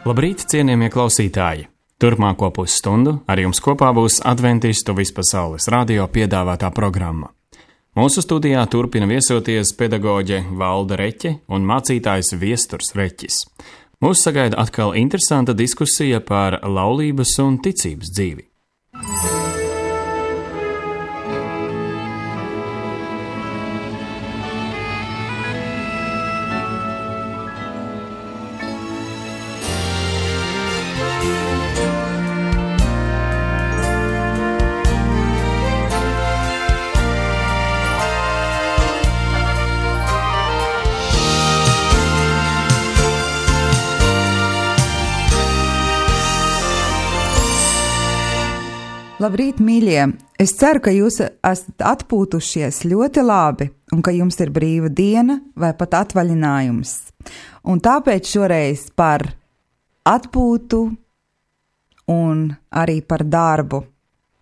Labrīt, cienījamie klausītāji! Turpmāko pusstundu ar jums kopā būs Adventistu vispasaules radio piedāvātā programma. Mūsu studijā turpina viesoties pedagoģe Valda Reķe un mācītājs Viesturs Reķis. Mūs sagaida atkal interesanta diskusija par laulības un ticības dzīvi. Labrīt, mīļie! Es ceru, ka jūs esat atpūtušies ļoti labi un ka jums ir brīva diena vai pat atvaļinājums. Un tāpēc šoreiz par atpūtu un arī par darbu.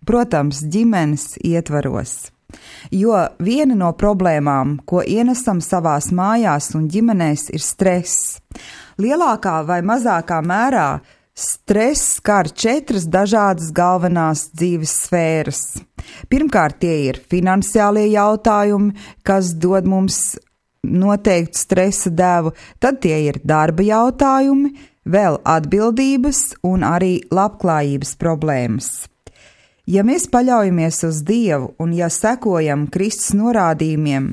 Protams, ģimenes ietvaros. Jo viena no problēmām, ko ienesam savās mājās un ģimenēs, ir stress. Lielākā vai mazākā mērā stress skar 4 dažādas galvenās dzīves sfēras. Pirmkārt, tie ir finansiālie jautājumi, kas dod mums noteiktu stresa devu, tad tie ir darba jautājumi, vēl atbildības un arī labklājības problēmas. Ja mēs paļaujamies uz Dievu un ja sekojam Kristus norādījumiem,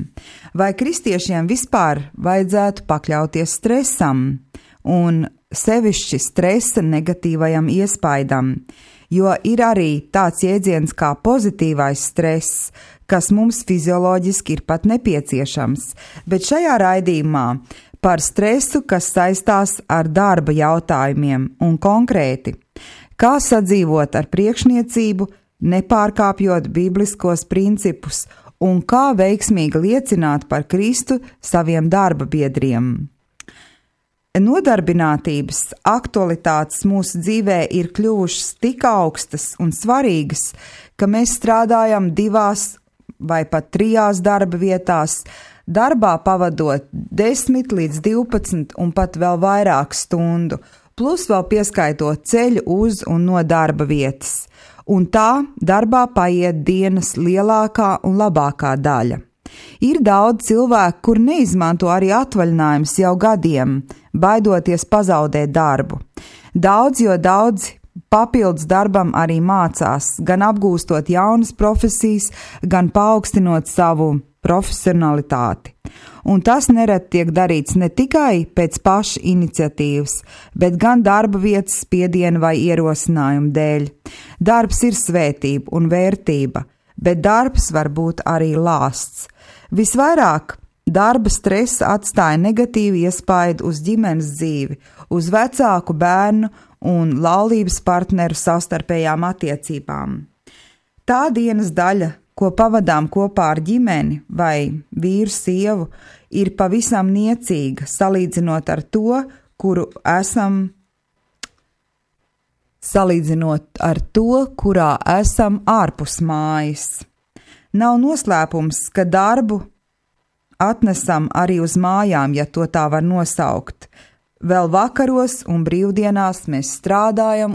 vai kristiešiem vispār vajadzētu pakļauties stresam un sevišķi stresa negatīvajam iespaidam, jo ir arī tāds jēdziens kā pozitīvais stress, kas mums fizioloģiski ir pat nepieciešams, bet šajā raidījumā par stresu, kas saistās ar darba jautājumiem un konkrēti, kā sadzīvot ar priekšniecību, nepārkāpjot bibliskos principus un kā veiksmīgi liecināt par Kristu saviem darba biedriem. Nodarbinātības aktualitātes mūsu dzīvē ir kļuvušas tik augstas un svarīgas, ka mēs strādājam 2 vai pat 3 darba vietās, darbā pavadot 10 līdz 12 un pat vēl vairāk stundu, plus vēl pieskaitot ceļu uz un no darba vietas. Un tā darbā paiet dienas lielākā un labākā daļa. Ir daudz cilvēku, kur neizmanto arī atvaļinājumus jau gadiem, baidoties pazaudēt darbu. Daudzi papildus darbam arī mācās, gan apgūstot jaunas profesijas, gan paaugstinot savu profesionalitāti. Un tas nereti tiek darīts ne tikai pēc paša iniciatīvas, bet gan darba vietas spiediena vai ierosinājuma dēļ. Darbs ir svētība un vērtība, bet darbs var būt arī lāsts. Visvairāk darba stresa atstāja negatīvu iespaidu uz ģimenes dzīvi, uz vecāku, bērnu un laulības partneru savstarpējām attiecībām. Tā dienas daļa, ko pavadām kopā ar ģimeni vai vīru sievu, ir pavisam niecīga, salīdzinot ar to, kurā esam ārpus mājas. Nav noslēpums, ka darbu atnesam arī uz mājām, ja to tā var nosaukt. Vēl vakaros un brīvdienās mēs strādājam.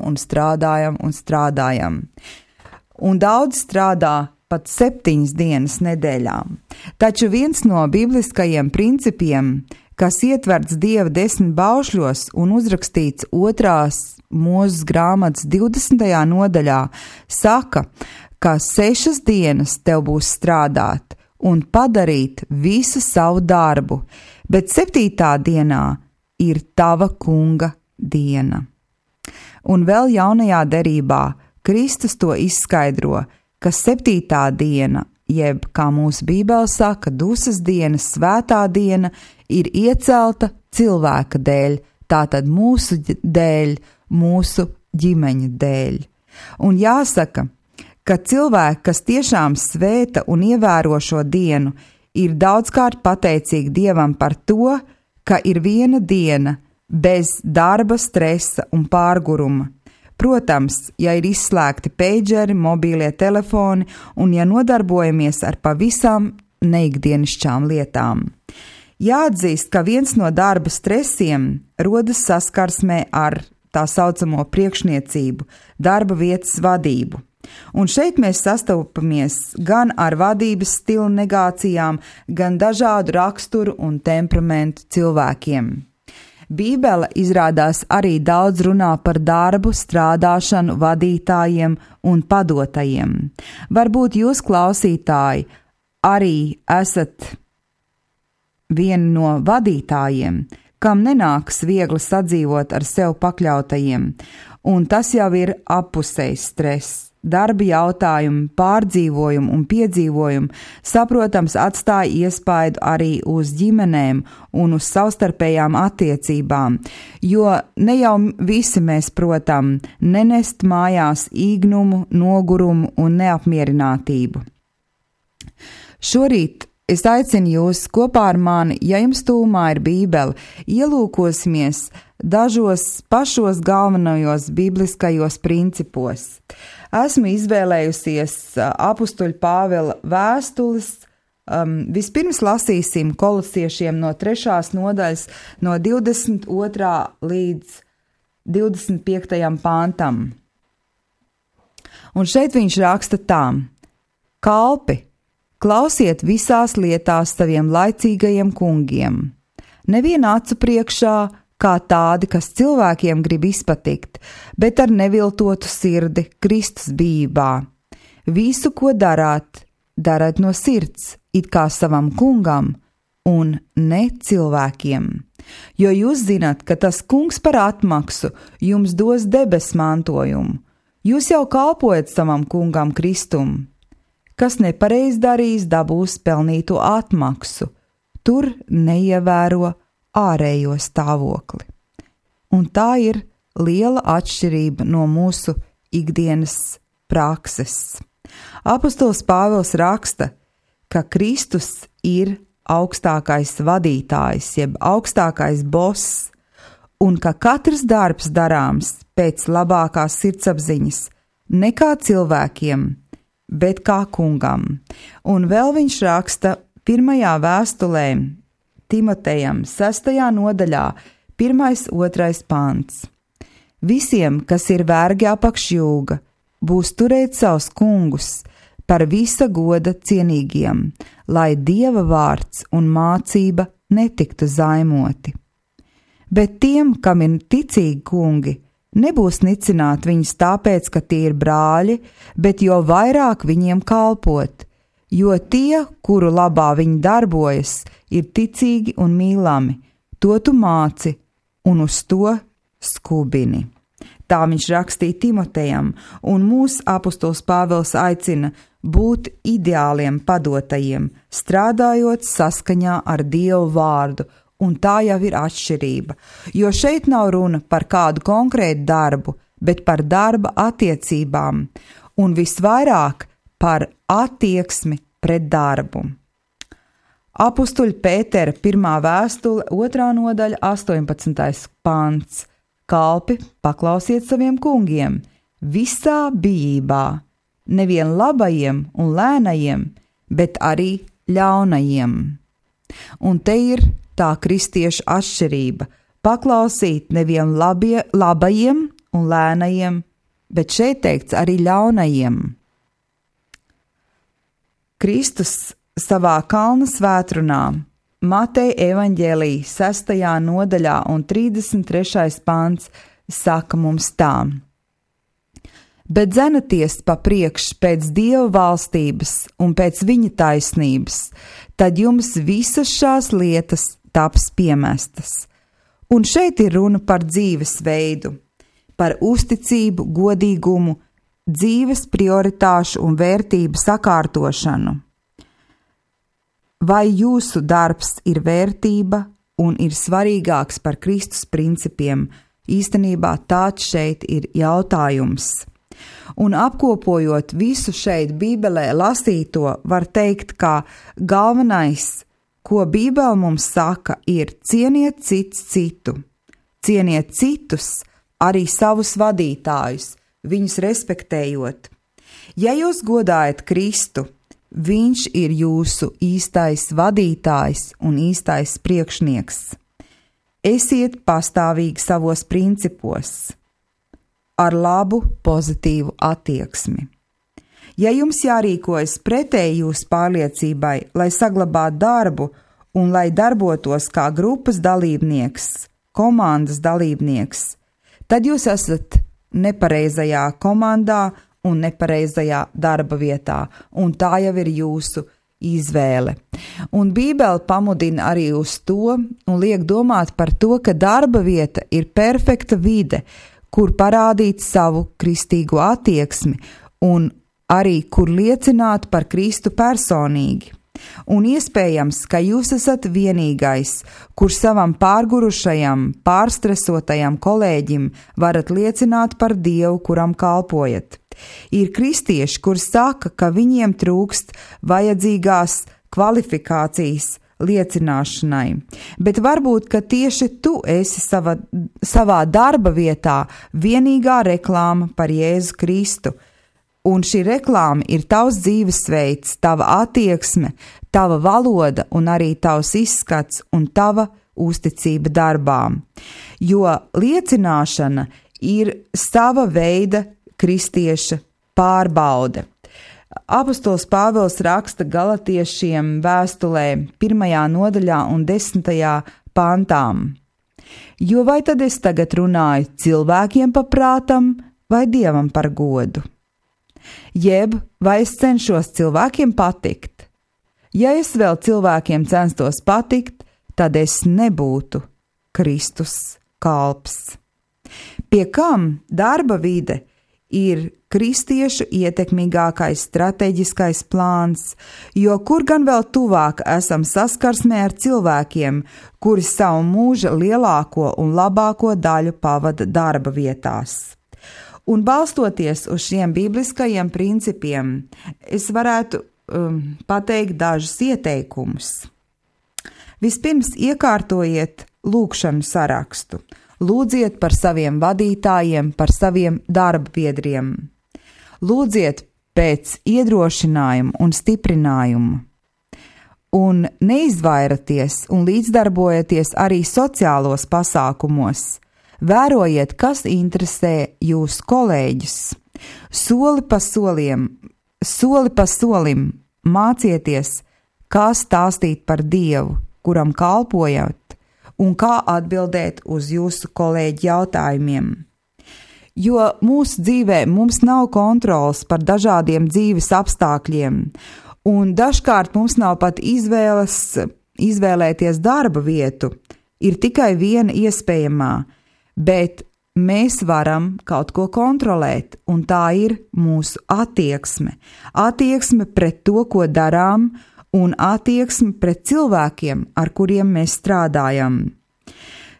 Un daudz strādā pat 7 dienas nedēļā. Taču viens no bibliskajiem principiem, kas ietverts Dieva 10 baušļos un uzrakstīts 2. Mūzes grāmatas 20. nodaļā, saka, ka 6 dienas tev būs strādāt un padarīt visu savu darbu, bet 7. dienā ir tava kunga diena. Un vēl jaunajā derībā Kristus to izskaidro, ka 7. diena, jeb, kā mūsu Bībele saka, dusmas diena, svētā diena, ir iecelta cilvēka dēļ, tātad mūsu dēļ, mūsu ģimeņu dēļ. Un jāsaka, ka cilvēki, kas tiešām svēta un ievēro šo dienu, ir daudzkārt pateicīgi Dievam par to, ka ir viena diena bez darba, stresa un pārguruma. Protams, ja ir izslēgti peidžeri, mobīlie telefoni un ja nodarbojamies ar pavisam neikdienišķām lietām. Jāatzīst, ka viens no darba stresiem rodas saskarsmē ar tā saucamo priekšniecību, darba vietas vadību. Un šeit mēs sastopamies gan ar vadības stilu negācijām, gan dažādu raksturu un temperamentu cilvēkiem. Bībele izrādās arī daudz runā par darbu, strādāšanu, vadītājiem un padotajiem. Varbūt jūs, klausītāji, arī esat vieni no vadītājiem, kam nenāks viegli sadzīvot ar sev pakļautajiem, un tas jau ir appusējs stress. Darba jautājumi, pārdzīvojumi un piedzīvojumi, saprotams, atstāja iespaidu arī uz ģimenēm un uz savstarpējām attiecībām, jo ne jau visi mēs protam nenest mājās īgnumu, nogurumu un neapmierinātību. Šorīt es aicinu jūs kopā ar mani, ja jums tūmā ir Bībele, ielūkosimies dažos pašos galvenajos bibliskajos principos. Esmu izvēlējusies apustuļa Pāvela vēstules. Vispirms lasīsim Kolosiešiem no 3. nodaļas, no 22. līdz 25. pantam. Un šeit viņš raksta tā: Kalpi, klausiet visās lietās saviem laicīgajiem kungiem, neviena acu priekšā, kā tādi, kas cilvēkiem grib izpatikt, bet ar neviltotu sirdi Kristus bijībā. Visu, ko darāt, dariet no sirds, it kā savam kungam un ne cilvēkiem. Jo jūs zināt, ka tas kungs par atmaksu jums dos debesu mantojumu. Jūs jau kalpojat savam kungam Kristum. Kas nepareiz darīs, dabūs pelnīto atmaksu. Tur neievēro ārējo stāvokli. Un tā ir liela atšķirība no mūsu ikdienas prakses. Apostols Pāvils raksta, ka Kristus ir augstākais vadītājs, jeb augstākais boss, un ka katrs darbs darāms pēc labākās sirdsapziņas, ne kā cilvēkiem, bet kā kungam. Un vēl viņš raksta 1. vēstulē Timotejam 6. nodaļā, 1.2. pants. Visiem, kas ir vergi apakš jūga, būs turēt savus kungus par visa goda cienīgiem, lai Dieva vārds un mācība netiktu zaimoti. Bet tiem, kam ir ticīgi kungi, nebūs nicināt viņus tāpēc, ka tie ir brāļi, bet jo vairāk viņiem kalpot, jo tie, kuru labā viņi darbojas, ir ticīgi un mīlami, to tu māci un uz to skubini. Tā viņš rakstīja Timotejam, un mūsu apostols Pāvils aicina būt ideāliem padotajiem, strādājot saskaņā ar Dievu vārdu, un tā jau ir atšķirība, jo šeit nav runa par kādu konkrētu darbu, bet par darba attiecībām, un visvairāk par attieksmi pret darbu. Apustuļa Pētera 1. vēstule, 2. nodaļa, 18. pants. Kalpi, paklausiet saviem kungiem, visā bijībā, nevien labajiem un lēnajiem, bet arī ļaunajiem. Un te ir tā kristiešu atšķirība – paklausīt nevien labajiem un lēnajiem, bet šeit teikts arī ļaunajiem. Kristus savā kalna svētrunā Mateja evaņģēlija 6. nodaļā un 33. pants saka mums tā: Bet dzenaties pa priekš pēc Dieva valstības un pēc viņa taisnības, tad jums visas šās lietas taps piemestas. Un šeit ir runa par dzīvesveidu, par uzticību, godīgumu, dzīves prioritāšu un vērtību sakārtošanu. Vai jūsu darbs ir vērtība un ir svarīgāks par Kristus principiem? Īstenībā tāds šeit ir jautājums. Un apkopojot visu šeit Bībelē lasīto, var teikt, ka galvenais, ko Bībele mums saka, ir cieniet cits citu. Cieniet citus, arī savus vadītājus, viņus respektējot. Ja jūs godājat Kristu, viņš ir jūsu īstais vadītājs un īstais priekšnieks. Esiet pastāvīgi savos principos, ar labu, pozitīvu attieksmi. Ja jums jārīkojas pretēji jūsu pārliecībai, lai saglabātu darbu un lai darbotos kā grupas dalībnieks, komandas dalībnieks, tad jūs esat nepareizajā komandā un nepareizajā darba vietā, un tā jau ir jūsu izvēle. Un Bībele pamudina arī uz to un liek domāt par to, ka darba vieta ir perfekta vide, kur parādīt savu kristīgo attieksmi un arī kur liecināt par Kristu personīgi. Un iespējams, ka jūs esat vienīgais, kur savam pārgurušajam, pārstresotajam kolēģim varat liecināt par Dievu, kuram kalpojat. Ir kristieši, kur saka, ka viņiem trūkst vajadzīgās kvalifikācijas liecināšanai, bet varbūt, ka tieši tu esi savā darba vietā vienīgā reklāma par Jēzu Kristu, un šī reklāma ir tavs dzīvesveids, tava attieksme, tava valoda un arī tavs izskats un tava uzticība darbām, jo liecināšana ir sava veida kristieša pārbaude. Apostols Pāvils raksta Galatiešiem vēstulē 1. nodaļā un 10. pantām. Jo vai tad es tagad runāju cilvēkiem pa prātam vai Dievam par godu? Jeb vai es cenšos cilvēkiem patikt? Ja es vēl cilvēkiem censtos patikt, tad es nebūtu Kristus kalps. Pie kam darba vide ir kristiešu ietekmīgākais strateģiskais plāns, jo kur gan vēl tuvāk esam saskarsmē ar cilvēkiem, kuri savu mūža lielāko un labāko daļu pavada darba vietās. Un balstoties uz šiem bibliskajiem principiem, es varētu pateikt dažus ieteikumus. Vispirms iekārtojiet lūgšanu sarakstu. Lūdziet par saviem vadītājiem, par saviem darba biedriem. Lūdziet pēc iedrošinājuma un stiprinājuma. Un neizvairaties un līdzdarbojieties arī sociālos pasākumos. Vērojiet, kas interesē jūsu kolēģus. Soli pa solim mācieties, kā stāstīt par Dievu, kuram kalpojat, un kā atbildēt uz jūsu kolēģi jautājumiem. Jo mūsu dzīvē mums nav kontrols par dažādiem dzīves apstākļiem, un dažkārt mums nav pat izvēlēties darba vietu, ir tikai viena iespējamā, bet mēs varam kaut ko kontrolēt, un tā ir mūsu attieksme. Attieksme pret to, ko darām, un attieksme pret cilvēkiem, ar kuriem mēs strādājam.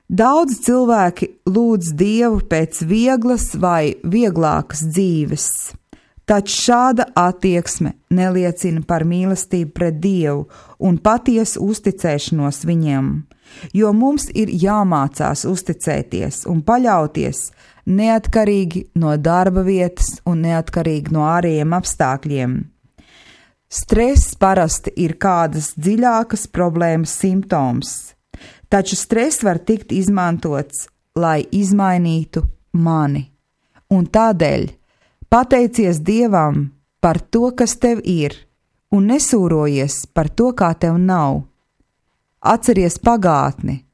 Daudz cilvēki lūdz Dievu pēc vieglas vai vieglākas dzīves, taču šāda attieksme neliecina par mīlestību pret Dievu un patiesu uzticēšanos viņam, jo mums ir jāmācās uzticēties un paļauties neatkarīgi no darba vietas un neatkarīgi no ārējiem apstākļiem. Stress parasti ir kādas dziļākas problēmas simptoms, taču stress var tikt izmantots, lai izmainītu mani. Un tādēļ pateicies Dievam par to, kas tev ir, un nesūrojies par to, kā tev nav. Atceries pagātni.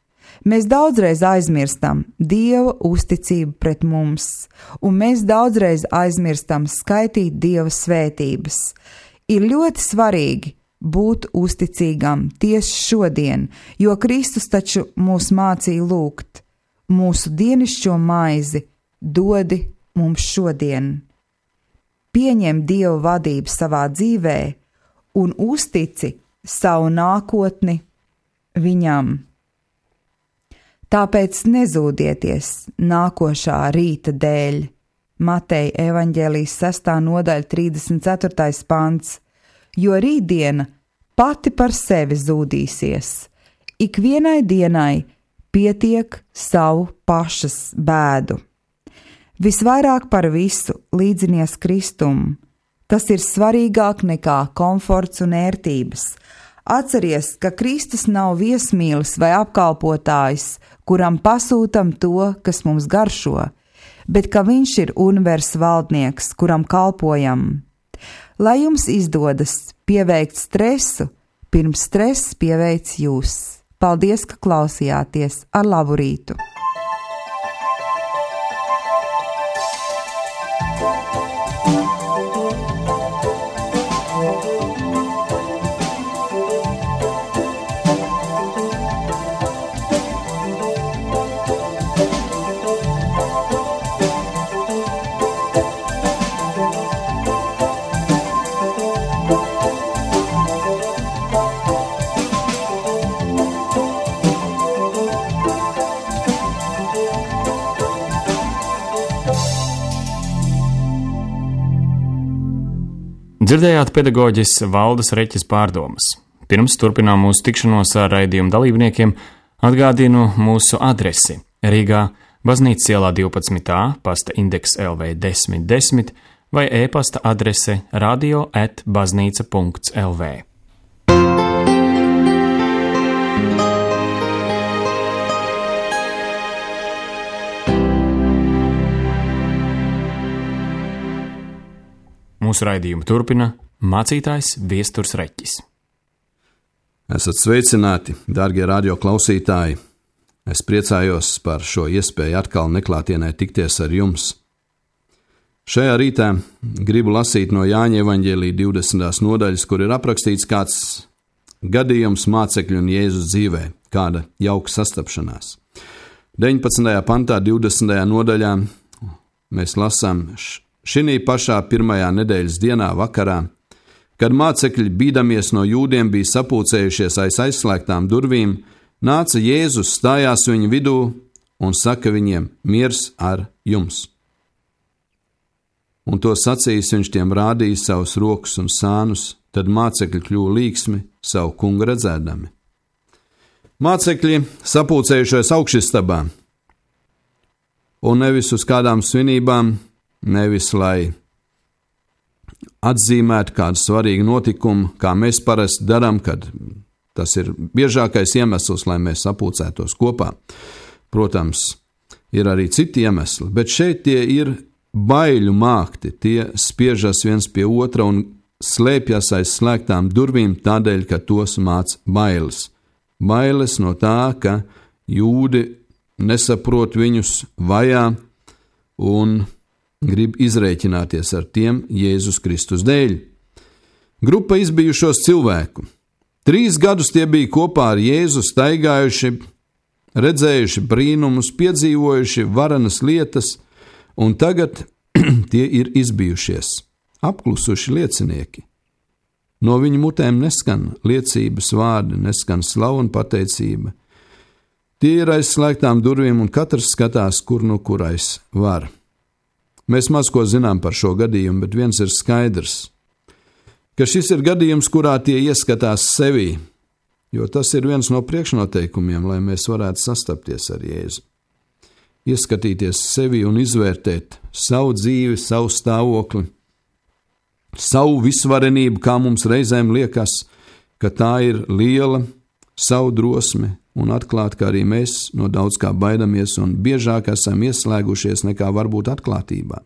Mēs daudzreiz aizmirstam Dieva uzticību pret mums, un mēs daudzreiz aizmirstam skaitīt Dieva svētības. Ir ļoti svarīgi būt uzticīgam tieši šodien, jo Kristus taču mūs mācīja lūgt: mūsu dienišķo maizi dodi mums šodien. Pieņem Dieva vadību savā dzīvē un uztici savu nākotni viņam. Tāpēc nezūdieties nākošā rīta dēļ. Mateja evaņģēlijas 6. nodaļa 34. pants, jo rītdiena pati par sevi zūdīsies. Ikvienai dienai pietiek savu pašas bēdu. Visvairāk par visu līdzinies Kristum. Tas ir svarīgāk nekā komforts un ērtības. Atceries, ka Kristus nav viesmīlis vai apkalpotājs, kuram pasūtam to, kas mums garšo, bet ka viņš ir universa valdnieks, kuram kalpojam. Lai jums izdodas pieveikt stresu, pirms stress pieveic jūs. Paldies, ka klausījāties. Ar labu rītu! Dzirdējāt pedagoģis Valdes Reķes pārdomas. Pirms turpinām mūsu tikšanos ar raidījumu dalībniekiem, atgādinu mūsu adresi Rīgā, Baznīcas ielā 12a, pasta indeks LV 1010 vai e-pasta adrese radio@baznīca.lv. Mūsu raidījumu turpina mācītājs Viesturs Reķis. Esat sveicināti, dārgie radio klausītāji! Es priecājos par šo iespēju atkal neklātienē tikties ar jums. Šajā rītā gribu lasīt no Jāņa evaņģēlija 20. nodaļas, kur ir aprakstīts kāds gadījums mācekļu un Jēzus dzīvē, kāda jauka sastapšanās. 19. pantā, 20. nodaļā mēs lasām: Šinī pašā pirmajā nedēļas dienā vakarā, kad mācekļi bīdamies no jūdiem bija sapulcējušies aiz aizslēgtām durvīm, nāca Jēzus, stājās viņu vidū un saka viņiem: miers ar jums. Un to sacījis, viņš tiem rādīja savus rokas un sānus, tad mācekļi kļuva līksmi savu kungu redzēdami. Mācekļi sapulcējušies augšistabā, un nevis uz kādām svinībām, nevis lai atzīmētu kādu svarīgu notikumu, kā mēs parasti darām, kad tas ir biežākais iemesls, lai mēs sapulcētos kopā. Protams, ir arī citi iemesli, bet šeit tie ir baiļu mākti, tie spiežas viens pie otra un slēpjas aiz slēgtām durvīm tādēļ, ka tos māc bailes. Bailes no tā, ka jūdi nesaprot viņus, vajā un grib izrēķināties ar tiem Jēzus Kristus dēļ. Grupa izbijušos cilvēku. 3 gadus tie bija kopā ar Jēzu, staigājuši, redzējuši brīnumus, piedzīvojuši varenas lietas, un tagad tie ir izbijušies, apklusuši liecinieki. No viņu mutēm neskan liecības vārdi, neskan slavu un pateicība. Tie ir aiz slēgtām durvīm, un katrs skatās, kur nu kurais var. Mēs maz ko zinām par šo gadījumu, bet viens ir skaidrs, ka šis ir gadījums, kurā tie ieskatās sevī, jo tas ir viens no priekšnoteikumiem, lai mēs varētu sastapties ar Jēzu. Ieskatīties sevi un izvērtēt savu dzīvi, savu stāvokli, savu visvarenību, kā mums reizēm liekas, ka tā ir liela, savu drosmi, un atklāt, ka arī mēs no daudz kā baidamies un biežāk esam ieslēgušies nekā varbūt atklātībā.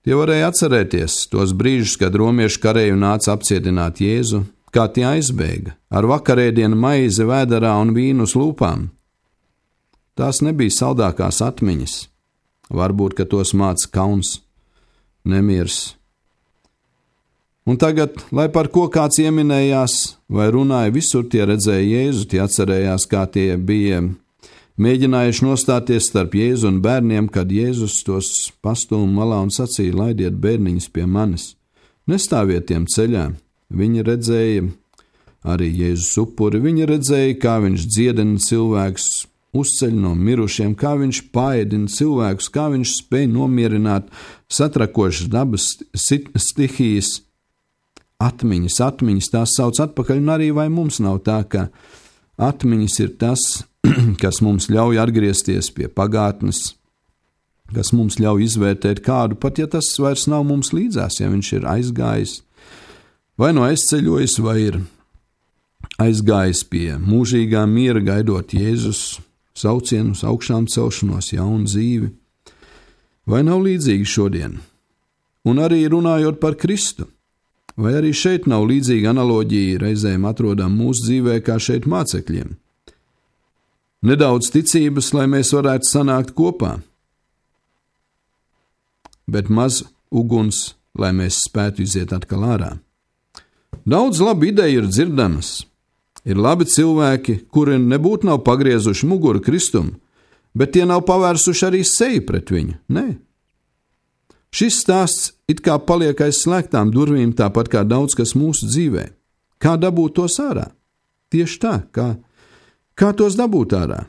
Tie varēja atcerēties tos brīžus, kad romiešu kareju nāca apcietināt Jēzu, kā tie aizbēga, ar vakarēdienu maizi vēderā un vīnu uz lūpām. Tās nebija saldākās atmiņas, varbūt, ka tos māca kauns, nemiers. Un tagad, lai par ko kāds ieminējās vai runāja, visur tie redzēja Jēzu, tie atcerējās, kā tie bija mēģinājuši nostāties starp Jēzu un bērniem, kad Jēzus tos pastūma malā un sacīja: laidiet bērniņus pie manis, nestāviet tiem ceļā. Viņi redzēja arī Jēzus upuri, viņi redzēja, kā viņš dziedina cilvēkus, uzceļ no mirušiem, kā viņš paēdina cilvēkus, kā viņš spēj nomierināt satrakošas dabas stihijas. Atmiņas, tās sauc atpakaļ, un arī vai mums nav tā, ka atmiņas ir tas, kas mums ļauj atgriezties pie pagātnes, kas mums ļauj izvērtēt kādu, pat ja tas vairs nav mums līdzās, ja viņš ir aizgājis, vai no aizceļojis, vai ir aizgājis pie mūžīgā miera, gaidot Jēzus saucienus, augšām celšanos, jaunu dzīvi. Vai nav līdzīgi šodien? Un arī runājot par Kristu, vai arī šeit nav līdzīga analoģija reizēm atrodam mūsu dzīvē kā šeit mācekļiem? Nedaudz ticības, lai mēs varētu sanākt kopā, bet maz uguns, lai mēs spētu iziet atkal ārā. Daudz labu ideju ir dzirdamas. Ir labi cilvēki, kuri nebūtu nav pagriezuši muguru Kristum, bet tie nav pavērsuši arī seju pret viņu. Nē. Šis stāsts it kā paliek aiz slēgtām durvīm, tāpat kā daudz kas mūsu dzīvē. Kā dabūt tos ārā? Tieši tā, kā tos dabūt ārā?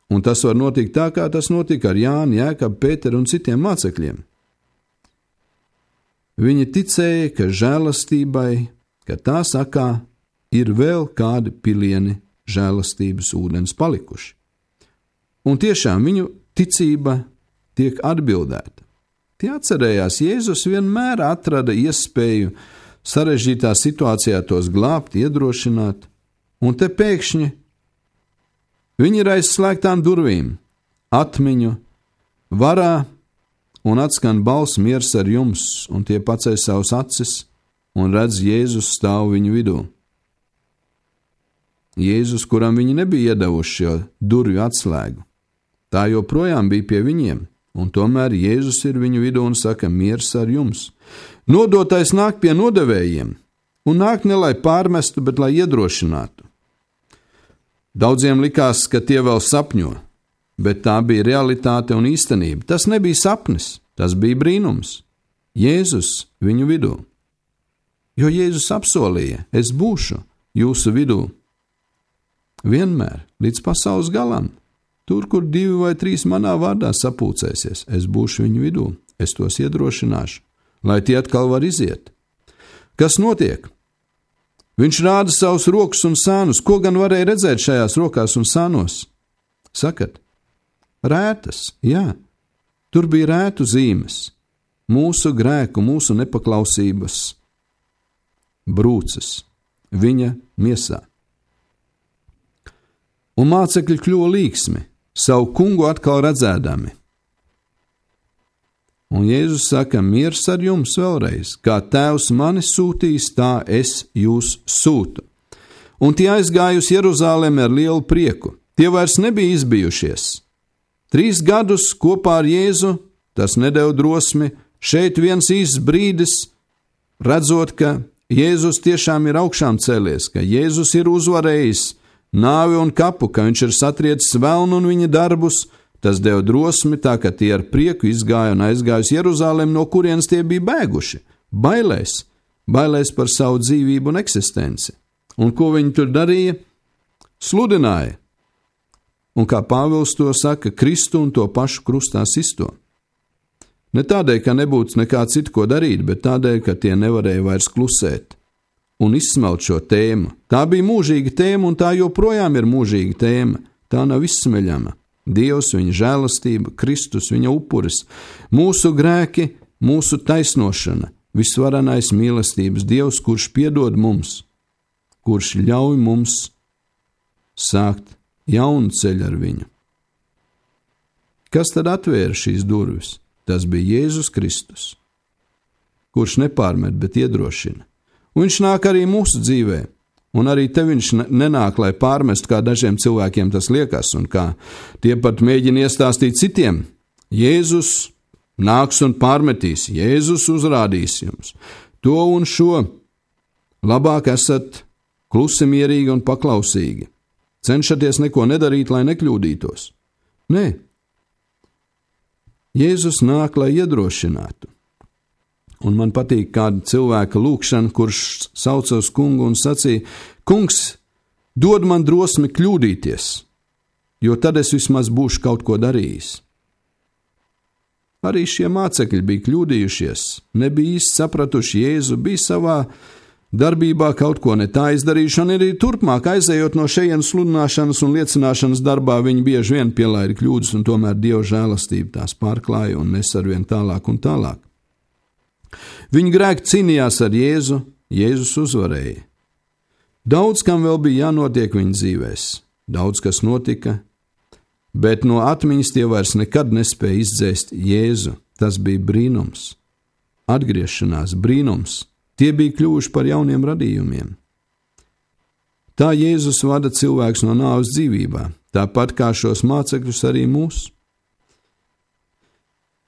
Un tas var notikt tā, kā tas notika ar Jāni, Jēkabu, Pēteru un citiem mācekļiem. Viņi ticēja, ka žēlastībai, ka tā sakā, ir vēl kādi pilieni žēlastības ūdens palikuši. Un tiešām viņu ticība tiek atbildēta. Tie atcerējās, Jēzus vienmēr atrada iespēju sarežģītā situācijā tos glābt, iedrošināt, un te pēkšņi viņi ir aiz slēgtām durvīm, atmiņu, varā, un atskan balss miers ar jums, un tie paceļ savus acis un redz Jēzus stāv viņu vidū. Jēzus, kuram viņi nebija iedevuši šo durvju atslēgu, tā joprojām bija pie viņiem, un tomēr Jēzus ir viņu vidū un saka, miers ar jums. Nodotais nāk pie nodevējiem, un nāk ne lai pārmestu, bet lai iedrošinātu. Daudziem likās, ka tie vēl sapņo, bet tā bija realitāte un īstenība. Tas nebija sapnis, tas bija brīnums. Jēzus viņu vidū. Jo Jēzus apsolīja, es būšu jūsu vidū. Vienmēr, līdz pasaules galam. Tur, kur 2 vai 3 manā vārdā sapulcēsies, es būšu viņu vidū, es tos iedrošināšu, lai tie atkal var iziet. Kas notiek? Viņš rāda savus rokas un sānus. Ko gan varēja redzēt šajās rokās un sānos? Sakat, rētas, jā, tur bija rētu zīmes, mūsu grēku, mūsu nepaklausības brūces viņa miesā. Un mācekļi kļuva līksmi, savu kungu atkal redzēdami. Un Jēzus saka, miers ar jums vēlreiz, kā tēvs mani sūtīs, tā es jūs sūtu. Un tie aizgāja uz Jeruzalemi ar lielu prieku. Tie vairs nebija izbijušies. 3 gadus kopā ar Jēzu, tas nedeva drosmi, šeit viens īsts brīdis, redzot, ka Jēzus tiešām ir augšām cēlies, ka Jēzus ir uzvarējis nāvi un kapu, ka viņš ir satriecis velnu un viņa darbus, tas deva drosmi, tā ka tie ar prieku izgāja un aizgāja uz Jeruzalemi, no kurienes tie bija bēguši, bailēs par savu dzīvību un eksistenci. Un ko viņi tur darīja? Sludināja. Un kā Pāvils to saka, Kristu un to pašu krustā sisto. Ne tādēļ, ka nebūtu nekā citu, ko darīt, bet tādēļ, ka tie nevarēja vairs klusēt un izsmelt šo tēmu. Tā bija mūžīga tēma, un tā joprojām ir mūžīga tēma. Tā nav izsmeļama. Dievs, viņa žēlastība, Kristus, viņa upuris, mūsu grēki, mūsu taisnošana, visvarenais mīlestības Dievs, kurš piedod mums, kurš ļauj mums sākt jaunu ceļu ar viņu. Kas tad atvēra šīs durvis? Tas bija Jēzus Kristus, kurš nepārmet, bet iedrošina. Un viņš nāk arī mūsu dzīvē, un arī te viņš nenāk, lai pārmestu, kā dažiem cilvēkiem tas liekas, un kā tie pat mēģina iestāstīt citiem. Jēzus nāks un pārmetīs, Jēzus uzrādīs jums to un šo. Labāk esat klusi, mierīgi un paklausīgi. Cenšaties neko nedarīt, lai nekļūdītos. Nē. Jēzus nāk, lai iedrošinātu. Un man patīk kāda cilvēka lūkšana, kurš sauca uz kungu un sacīja, kungs, dod man drosmi kļūdīties, jo tad es vismaz būšu kaut ko darījis. Arī šie mācekļi bija kļūdījušies, nebija īsti sapratuši Jēzu, bija savā darbībā kaut ko ne tā izdarījuši, un arī turpmāk aizējot no šejienes sludināšanas un liecināšanas darbā, viņi bieži vien pielaida kļūdas, un tomēr Dieva žēlastība tās pārklāja un nes arvien tālāk un tālāk. Viņi grēki cīnījās ar Jēzu, Jēzus uzvarēja. Daudz kam vēl bija jānotiek viņa dzīvēs, daudz kas notika, bet no atmiņas tie vairs nekad nespēja izdzēst Jēzu. Tas bija brīnums, atgriešanās brīnums. Tie bija kļuvuši par jauniem radījumiem. Tā Jēzus vada cilvēks no nāves dzīvībā, tāpat kā šos mācekļus arī mūs.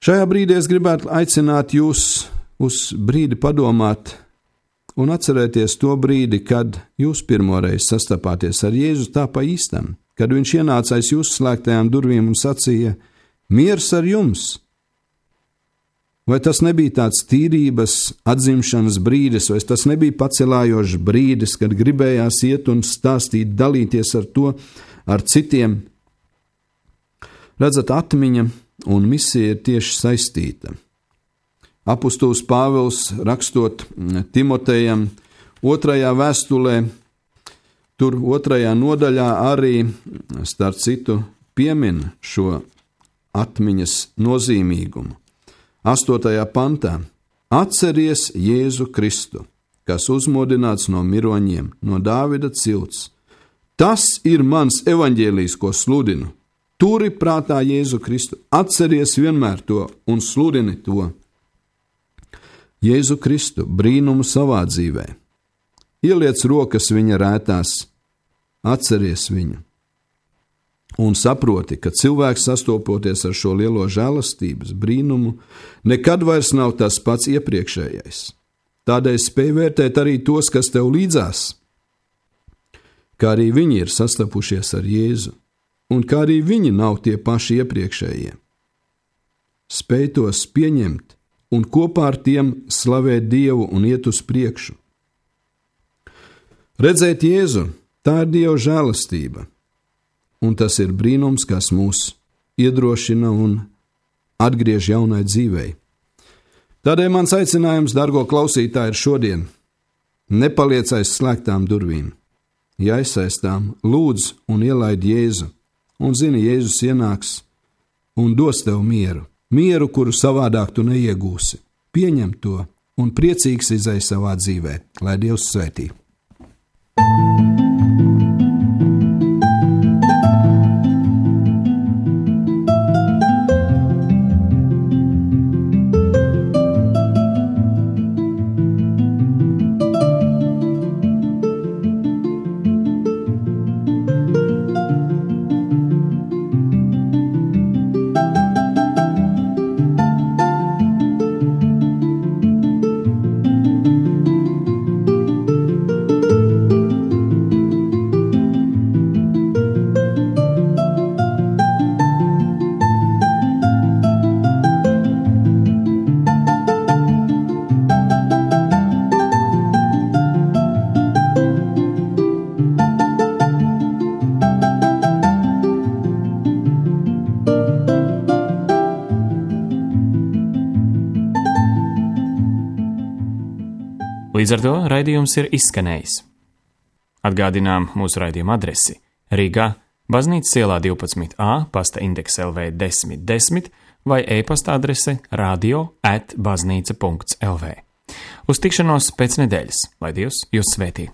Šajā brīdī es gribētu aicināt jūs uz brīdi padomāt un atcerēties to brīdi, kad jūs pirmoreiz sastapāties ar Jēzu tā pa īstam, kad viņš ienāca aiz jūsu slēgtajām durvīm un sacīja: miers ar jums! Vai tas nebija tāds tīrības, atzimšanas brīdis, vai tas nebija pacelājošs brīdis, kad gribējās iet un stāstīt, dalīties ar to ar citiem? Redzat, atmiņa un misija ir tieši saistīta. Apostols Pāvils, rakstot Timotejam 2. vēstulē, tur 2. nodaļā arī, starp citu, piemin šo atmiņas nozīmīgumu. 8. pantā: atceries Jēzu Kristu, kas uzmodināts no miroņiem, no Dāvida cilts. Tas ir mans evaņģēlijs, ko sludinu. Turi prātā Jēzu Kristu, atceries vienmēr to un sludini to. Jēzu Kristu, brīnumu savā dzīvē. Ieliec rokas viņa rētās, atceries viņu. Un saproti, ka cilvēks sastopoties ar šo lielo žēlastības brīnumu, nekad vairs nav tas pats iepriekšējais. Tādēļ spēj vērtēt arī tos, kas tev līdzās, kā arī viņi ir sastapušies ar Jēzu, un kā arī viņi nav tie paši iepriekšējie. Spēj tos pieņemt un kopā ar tiem slavēt Dievu un iet uz priekšu. Redzēt Jēzu, tā ir Dieva žēlastība. Un tas ir brīnums, kas mūs iedrošina un atgriež jaunai dzīvei. Tādēļ mans aicinājums, dargo klausītāji, ir šodien: nepaliec aiz slēgtām durvīm, ja aizsaistām, lūdz un ielaid Jēzu, un zini, Jēzus ienāks un dos tev mieru, mieru, kuru savādāk tu neiegūsi. Pieņem to un priecīgs izej savā dzīvē, lai Dievs svētī. Līdz ar to raidījums ir izskanējis. Atgādinām mūsu raidījuma adresi: Rīgā, Baznīcas ielā 12A, pasta indeks LV 1010 vai e-pasta adrese radio@baznīca.lv. Uz tikšanos pēc nedēļas, lai Dievs jūs svētī!